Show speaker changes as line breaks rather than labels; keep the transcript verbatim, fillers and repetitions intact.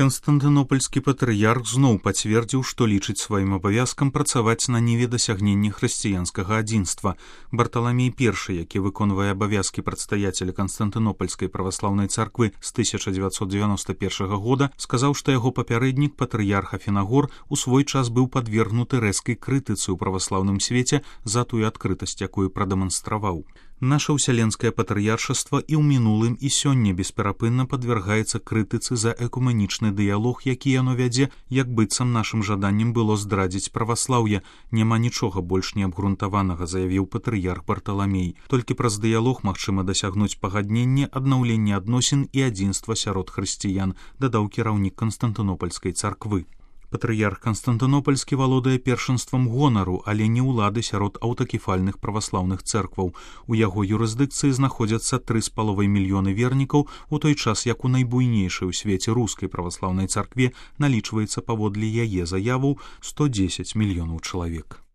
Канстантынопольскі патрыярх зноў пацвердзіў, што лічыць сваім абавязкам працаваць на ніве дасягнення хрысціянскага адзінства. Барталамей першы, які выконвае абавязкі прадстаяцеля Канстантынопольскай праваслаўнай царквы з тысяча дзевяцьсот дзевяноста першага года, сказаў, што яго папярэднік, патрыярх Афінагор, у свой час быў падвергнуты рэзкай крытыцы ў праваслаўным свеце за тую адкрытасць, якую прадэманстраваў. Наша ўсяленскае патрыяршаства і ў мінулым і сёння бесперапынна падвяргаецца крытыцы за экуменічны дыялог, які яно вядзе, як быццам нашым жаданнем было здрадзіць праваслаўе. Няма нічога больш неабгрунтаванага, заявіў патрыярх Барталамей. Толькі праз дыялог магчыма дасягнуць пагаднення, аднаўлення адносін і адзінства сярод хрысціян, дадаў кіраўнік Канстантынопольскай царквы. Патрыярх Канстантынопольскі валодае першынствам гонару, але не ўлады сярод аўтакефальных праваслаўных цэркваў. У яго юрысдыкцыі знаходзяцца тры з паловай мільёны вернікаў, у той час як у найбуйнейшай у свеце рускай праваслаўнай царкве налічваецца паводле яе заяваў сто дзесяць мільёнаў чалавек.